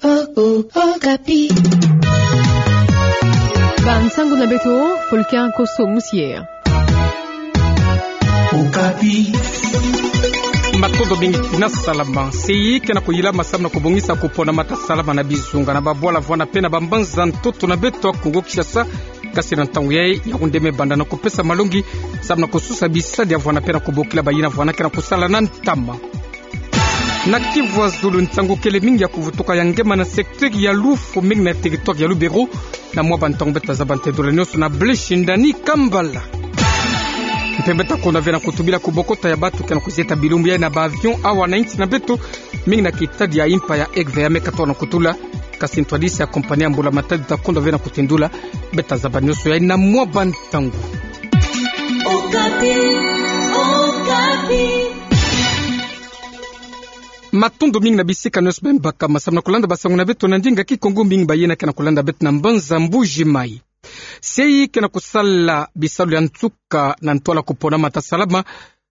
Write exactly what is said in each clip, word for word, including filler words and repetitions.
Oh, oh, Okapi. Bansangu na beto, Fulcan Kosso Musier. Okapi. Matondo mingi na salama. Se i ke na kuyilama samu na kubongisa kuponama ta salama na bizunga na babwala vwanda pe na bambanza ntoto na beto ya Kongo Kinshasa. Kasi na ntangu yayi, Yaoundé me banda na kupesa malongi samu na kususa bisadi ya vwanda pe na kubokila bayina vwanda ke na kusala na ntama. Na Kivu ya Zulu, nsangu kele mingi ya kuvutuka ya ngema na secteur ya Lufu, mingi na territoire ya Lubero. Na mwa bantangu beta zaba ntendula nyonso na Blaise Shindani Kambala. Mpe beta konda ve na kutubila kubokota ya bantu ke na kuzieta bilumbu yayi na ba avion awa na insi na beto, mingi na kitadi ya impa ya Egve ya me katoa na kutula. Kasi ntwadisi ya compagnie ya mbula matadi ta konda ve na kutendula. Beta zaba nyonso yayi na mwa bantangu. Okapi, Okapi. Matondo mingi na bisika nyonso beno bakama samu na kulanda bansangu na beto na ndinga Kikongo, mingi bayina ke na kulanda beto na mbanza Mbuji Mayi. Se i ke na kusala bisalu ya nsuka na ntwala kuponama ta salama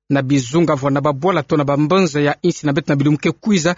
na bizunga vwanda na babwala to na bambanza ya insi na beto na bilumbu ke kwiza.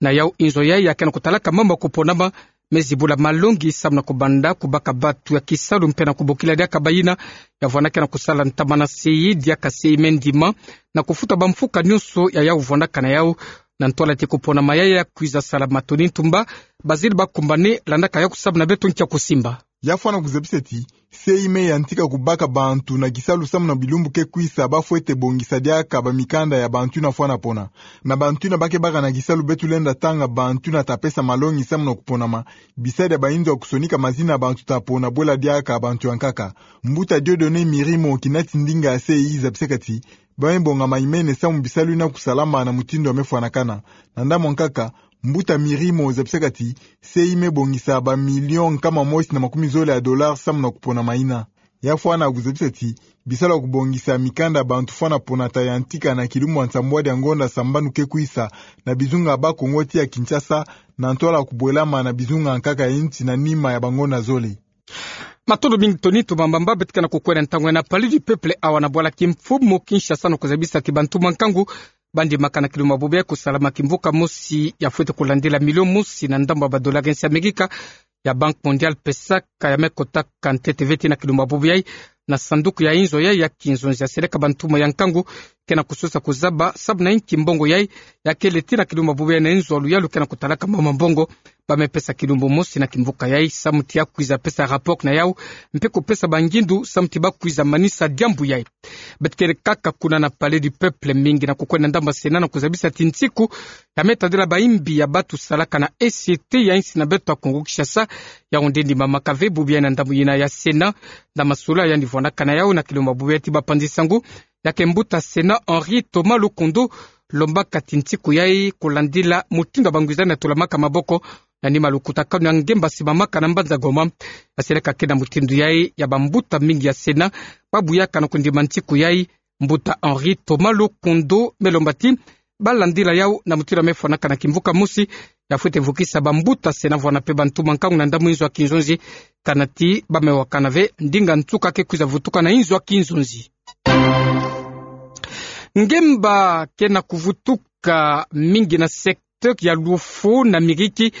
Na yau inzo yayi ya ke na kutalaka mambu ya kuponama me zibula malongi samu na kubanda kubaka bantu ya kisalu mpe na kubokila diaka bayina ya vwanda ke na kusala ntama na se i, diaka se i me ndima na kufuta bamfuka nyonso ya yau vwandaka na yau. Na ntwala ti kuponama yayi ya kwiza salama, Tony Ntumba, Bazile Bakumbane landaka yau samu na beto nkia kusimba. Ya fwana kuzabisa ti se i me yantika kubaka bantu na kisalu samu na bilumbu ke kwisa ba fwete bongisa diaka bamikanda ya bantu yina fwana pona. Na bantu yina ba ke baka na kisalu, beto lenda tanga bantu yina ta pesa malongi samu na kuponama, bisadi ya bainzo ya kusonika mazina ya bantu ta pona bwela diaka bantu ya nkaka. Mbuta Dieudonné Mirimo, kinati ndinga ya se i, zabisaka ti ba me bonga mayimene samu bisalu yina kusalama na mutindu ya me fwanakana. Na ndambu ya nkaka, Mbuta Mirimo zabisaka ti se i me bongisa ba million nkama mosi na makumi zole ya dollars samu na kuponama yina. Ya fwana kuzabisa ti bisalu ya kubongisa mikanda ya bantu fwana pona ta yantika na kilumbu ya nsambwadi ya ngonda sambanu ke kwisa na bizunga ya Bas-Congo ti ya Kinshasa, na ntwala kubwelama na bizunga ya nkaka ya insi na nima ya bangonda zole. Matondo mingi Tony Ntumba. Mbamba beto ke na kukwenda ntangu yayi na Palais du Peuple awa na bwala kimfumu Kinshasa na kuzabisa ti bantu mankangu ba ndimaka na kilumbu ya bubu yayi kusalama kimvuka mosi ya fwete kulandila milio mosi na ndambu ya ba dollars ya insi ya Amerika ya Banque Mondiale pesaka, ya me kotaka ntete ve ti na kilumbu ya bubu yayi na sanduku ya inzo yayi ya kinzonzi. Ya seleka bantu ma ya nkangu ke na kususa kuzaba samu na inki mbongo yayi ya kele ti na kilumbu ya bubu yayi na inzo ya luyalu ke na kutalaka mama mbongo. Ba me pesa kilumbu mosi na kimvuka yayi samu ti ya kwiza pesa rapport na yau, mpe kupesa bangindu samu ti ba kwiza manisa diambu yayi. Beto kele kaka kuna na Palais du Peuple, mingi na kukwenda ndambu ya Sénat na kuzabisa ti nsiku ya me tadila bayimbi ya bantu salaka na société ya insi na beto ya Kongo Kinshasa, Yaoundé ndimamaka ve bubu yayi na ndambu yina ya Sénat. Na masolo yandi vwandaka na yau na kilumbu ya bubu yayi ti bapanzi nsangu, ya ke mbuta Sénat Henri Thomas Lokondo lombaka ti nsiku yayi kulandila mutindu ya bangwizani ya tulamaka maboko na nima lukutakanu ya ngemba simamaka na mbanza Goma. Ya seleka ke na mutindu yayi ya bambuta mingi ya Sénat ba buyaka na kundima nsiku yayi. Mbuta Henri Thomas Lokondo me lomba ti ba landila yau na mutindu ya me fwanaka na kimvuka mosi, ya fwete vukisa bambuta Sénat vwanda mpe bantu mankangu na ndambu inzo ya kinzonzi, kana ti ba me wakana ve ndinga nsuka ke kwiza vutuka na inzo ya kinzonzi. Ngemba ke na kuvutuka mingi na secteur ya Luofu na Miriki,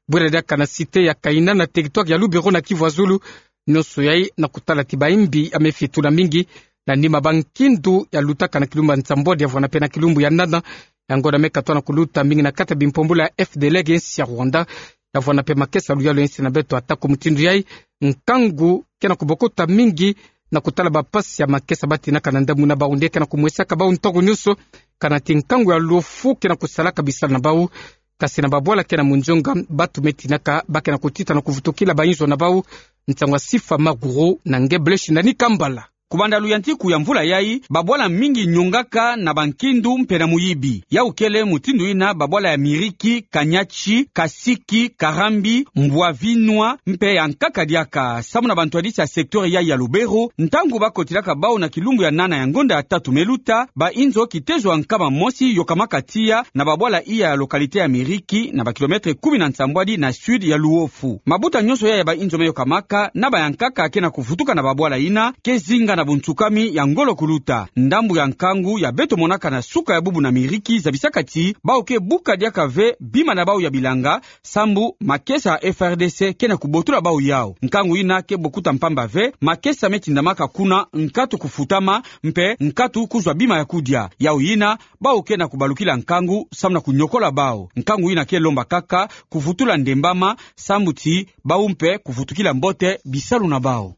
bwela diaka na cité ya Kaina na territoire ya Lubero na Kivu ya Zulu. Nyonso yayi na kutala ti bayimbi ya me fitula mingi na nima bankindu ya lutaka na kilumbu ya nsambwadi ya vwanda mpe na kilumbu ya nana ya ngonda me katoa na kuluta, mingi na kati ya bimpombolo ya F D L R ya insi ya Rwanda. Ya vwanda mpe makesa ya luyalu ya insi na beto. Atako mutindu yayi, nkangu ke na kubokota mingi na kutala bampasi ya makesa ba tinaka na ndambu yina, bau nde ke na kumwesaka bau ntangu nyonso, kana ti nkangu ya Luofu ke na kusalaka bisalu na bau. Kasi na babwala ke na munzonga, bantu me tinaka ba ke na kutita na kuvutukila bainzo na bau. Nsangu ya Sifa Maguru na nge Blaise Shindani Kambala. Kubanda luyantiku ya mvula yayi, babwala mingi nyongaka na bankindu mpe na muyibi. Yau kele mutindu yina babwala ya Miriki, Kanyachi, Kasiki, Karambi, Mbwavinwa, mpe ya nkaka diaka. Samu na bantwadisi ya secteur yayi ya Lubero, ntangu ba kotilaka bau na kilumbu ya nana ya ngonda ya tatu me luta, bainzo kitezo ya nkama mosi yokamaka tiya na babwala iya ya localité ya Miriki, na ba kilomètre kumi na nsambwadi na sud ya Luofu. Mabuta nyonso yayi ya bainzo me yokamaka, na ba ya nkaka ke na kuvutuka na babwala yina, ke zinga na buntsukami ya ngolo kuluta. Ndambu ya nkangu ya beto monaka na suka ya bubu na miriki zabisaka ti bawu ke buka diaka ve bima na bawu ya bilanga, sambu makesa ya F R D C ke na kubotola bawu yawu. Nkangu yina ke bokuta mpamba ve, makesa me tindamaka kuna nkatu kufutama, mpe nkatu kuzwa bima ya kudia. Yawu yina, bawu ke na kubalukila nkangu, samu na kunyokola bawu. Nkangu yina ke lomba kaka kuvutula ndembama, sambu ti bawu mpe kuvutukila mbote bisalu na bawu.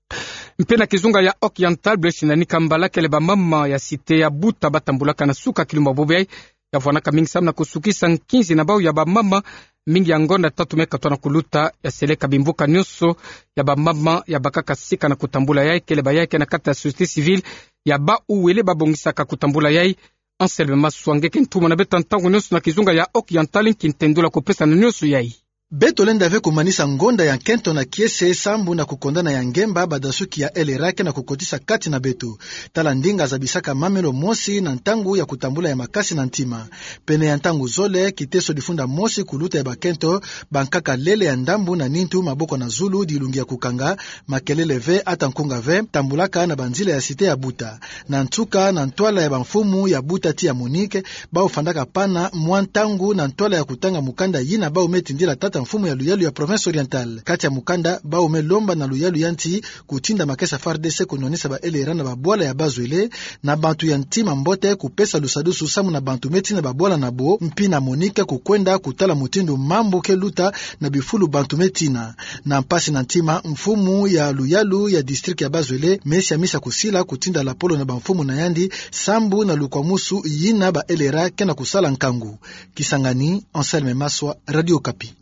Mpe na kizunga ya Occidental, Blaise Nani Kambala kele bamama ya cité ya Buta batambulaka na suka kilumbu bubu yayi, ya vwanaka mingi samu na kusukisa nkinzi na bawu ya bamama, mingi ya ngonda tatu me katwa na kuluta, ya seleka bimvuka nyonso ya bamama ya bakaka sika na kutambula yayi, kele bayayi ke na kati ya société civile ya bawu wele babongisaka kutambula yayi. Anselme Maswa nge ke ntumwa na beto ntangu nyonso na kizunga ya Occidental, nki ntendula kupesa na nyonso yayi. Beto lenda ve kumanisa ngonda ya nkento na kiese sambu na kukondana ya ngemba badasuki ya L R A ke na kukotisa kati na beto. Tala ndinga zabisaka mamelo mosi na ntangu ya kutambula ya makasi na ntima. Pene ya ntangu zole, kiteso difunda mosi kuluta ya bakento, bankaka lele ya ndambu na nintu, maboko na zulu, dilungi ya kukanga, makelele ve, ata nkunga ve, tambulaka na banzila ya cité ya Buta. Na nsuka, na ntwala ya bamfumu ya Buta ti ya Monique, bawu fandaka pana mwa ntangu na ntwala ya kutanga mukanda yina bawu me tindila tata mfumu ya luyalu ya Province Orientale. Kati ya mukanda, bawu me lomba na luyalu ya nsi kutinda makesa F A R D C kunwanisa ba L R A na babwala ya bazwele, na bantu ya ntima mbote kupesa lusadusu samu na bantu me tina babwala na bo, mpi na Monique kukwenda kutala mutindu mambu ke luta na bifulu bantu me tina. Na mpasi na ntima, mfumu ya luyalu ya district ya bazwele me siamisa kusila kutinda lapolo na bamfumu na yandi, sambu na lukwamusu yina ba L R A ke na kusala nkangu. Kisangani, Anselme Maswa, Radio Okapi.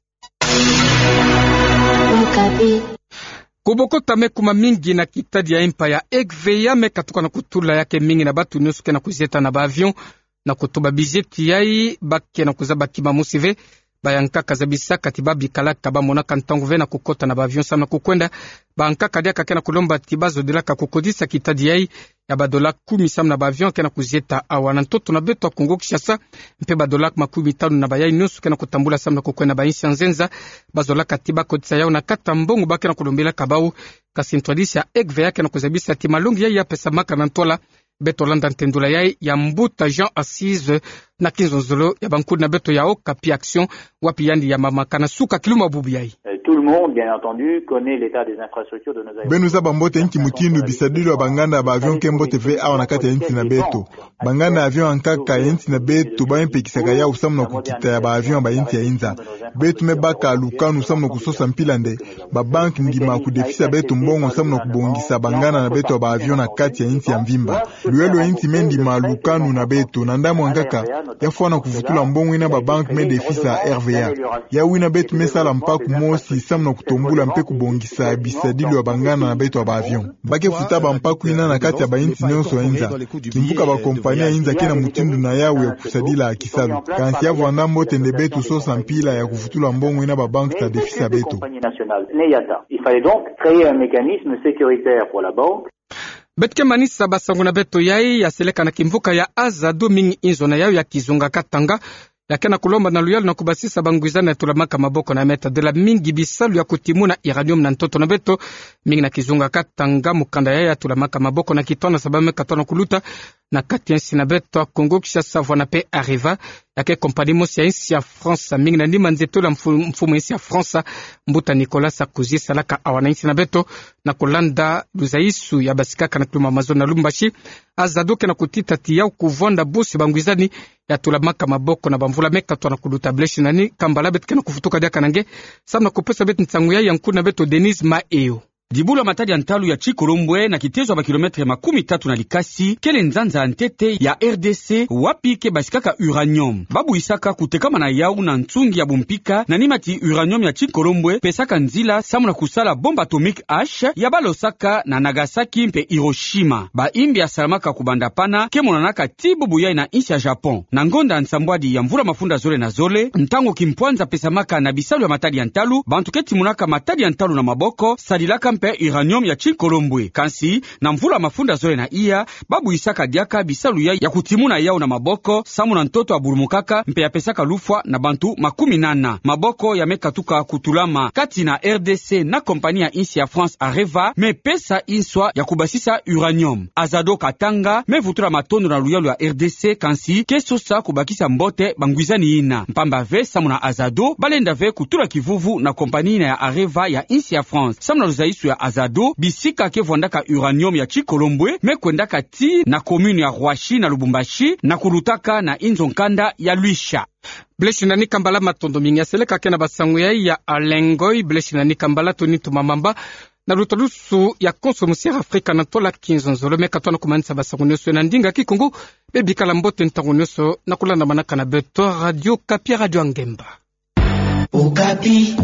Kubokota me kuma mingi na kitadi ya impa ya Egveya me katuka na kutula ya ke mingi na bantu nyonso ke na kuzieta na ba avion, na kutuba bizieti yayi, ba ke na kuzaba kima mosi ve, bayankaka zabisaka ti ba bikalaka bamonaka ntangu ve na kukota na ba avion samu na kukwenda. Bayankaka diaka ke na kulomba ti bazodilaka kukotisa kitadi yayi ya ba dola kumi samu na ba avion ke na kuzieta awa na ntoto na beto ya Kongo Kinshasa, mpe ba dola makumi tanu na bayayi nyonso ke na kutambula samu na kukwenda ba insi ya nzenza. Bazolaka ti bakotisa yawu na kati ya mbongo ba ke na kulombilaka bawu. Kasi ntwadisi ya Egveya ke na kuzabisa ti malongi yayi ya pesamaka na ntwala. Beto landa ntendula yayi ya mbuta Jean Assise na kinzonzolo ya bankudi na beto ya Okapi Action, wapi yandi ya mamaka na suka kilumbu bubu yayi. Euh, tout le monde, bien entendu, connaît l'état des infrastructures de nos aéroports. Beno zaba mbote nki mutindu bisadilu ya banganda ya ba avion ke mbote ve awa na kati ya insi na beto. Banganda ya avion yankaka ya insi na beto ba me pekisaka yawu samu na kukita ya ba avion ya ba insi ya inza. Beto me baka lukanu samu na kusosa mpila nde ba banki ngima kudefisa beto mbongo samu na kubongisa banganda na beto ya ba avion na kati ya insi ya mvimba. Luyalu ya insi me ndima lukanu na beto, na ndambu yankaka ya fwana kuvutula mbongo yina ba banki me defisa R V A. Yawu yina beto me sala mpaku mosi samu na kutombula mpe kubongisa bisadilu ya banganda na beto ya ba avion. Ba ke futa bampaku yina na kati ya ba insi nyonso ya inza. Kimvuka ba compagnie ya inza ke na mutindu na yawu ya kusadila kisalu. Kansi ya vwanda mbote nde beto sosa mpila ya kuvutula mbongo yina ba banki ta defisa beto. Il fallait donc créer un mécanisme sécuritaire pour la banque. Beto ke manisa basangu na beto yayi ya seleka na kimvuka ya Azado, mingi inzo na yawu ya kizunga Katanga ya ke na kulomba na luyalu na kubasisa bangwizani ya tulamaka maboko na ya me tadila mingi bisalu ya kutimuna uranium na ntoto na beto. Mingi na kizunga Katanga, mukanda yayi ya tulamaka maboko na kitwana sa ba me katwa na kuluta na kati ya insi na beto ya Kongo Kinshasa, vwanda mpe Areva, ya ke compagnie mosi ya insi ya France. Mingi na nima nzietolo ya mfu-, mfumu ya insi ya France, mbuta Nicolas Sarkozy, salaka awa na insi na beto, na kulanda luzayisu ya basikaka na kilumbu ya mazono na Lubumbashi. Azado ke na kutita ti yawu kuvwanda bosi bangwizani ya tulamaka maboko na bamvula me katwa na kuluta. Blaise Nani Kambala, beto ke na kufutuka diaka na nge samu na kupesa beto nsangu yayi ya nkuna beto Denise Maheyo. Dibulu ya matadi ya ntalu ya Tshikolombwe, na kitezo ya ba kilomètre makumi tatu na likasi, kele nzanza ya ntete ya R D C, wapi ke basikaka uranium. Ba buyisaka kutekama na yawu na nsungi ya bumpika, na nima ti uranium ya Tshikolombwe pesaka nzila samu na kusala bombe atomique H ya ba losaka na Nagasaki mpe Hiroshima. Bayimbi ya salamaka kubanda pana ke monanaka tii bubu yayi na insi ya Japon. Na ngonda ya nsambwadi ya mvula mafunda zole na zole, ntangu kimpwanza pesamaka na bisalu ya matadi ya ntalu, bantu ke timunaka matadi ya ntalu na maboko, sadilaka mpe uranium ya tinkolombwe. Kansi, na mvula mafunda zole na iya, babuisaka diaka bisalu ya, ya kutimuna yau na maboko, samu na ntoto ya bulumukaka, mpe ya pesaka lufwa na bantu makumi nana. Maboko ya me katuka kutulama kati na R D C na compagnie ya insi ya France Areva, me pesa inswa ya kubasisa uranium. Azado Katanga, me vutula matondo na luyalu ya R D C, kansi ke sosa kubakisa mbote bangwizani yina. Mpamba ve, samu na Azado, balenda ve kutula kivuvu na compagnie yina ya Areva ya insi ya France. Samu na luzaisu ya Azado, bisika ke vwandaka uranium ya tinkolombwe, me kwendaka tii na commune ya Roissy na Lubumbashi, na kulutaka na inzo nkanda ya Luisha. Blessing Nanikambala, matondo mingi. Seleka ke na basango ya, ya Alain Ngoy, Blessing Nanikambala, Tony Tumamamba, na lutalusu ya konso musiere Afrika na ntola kinzonzolo. Me katoa na kumanisa basango nioso na ndinga Kikongo. Bebikala mbote ntangu nioso na kulandamanaka na beto Radio Okapi, Radio ya Ngemba. Okapi.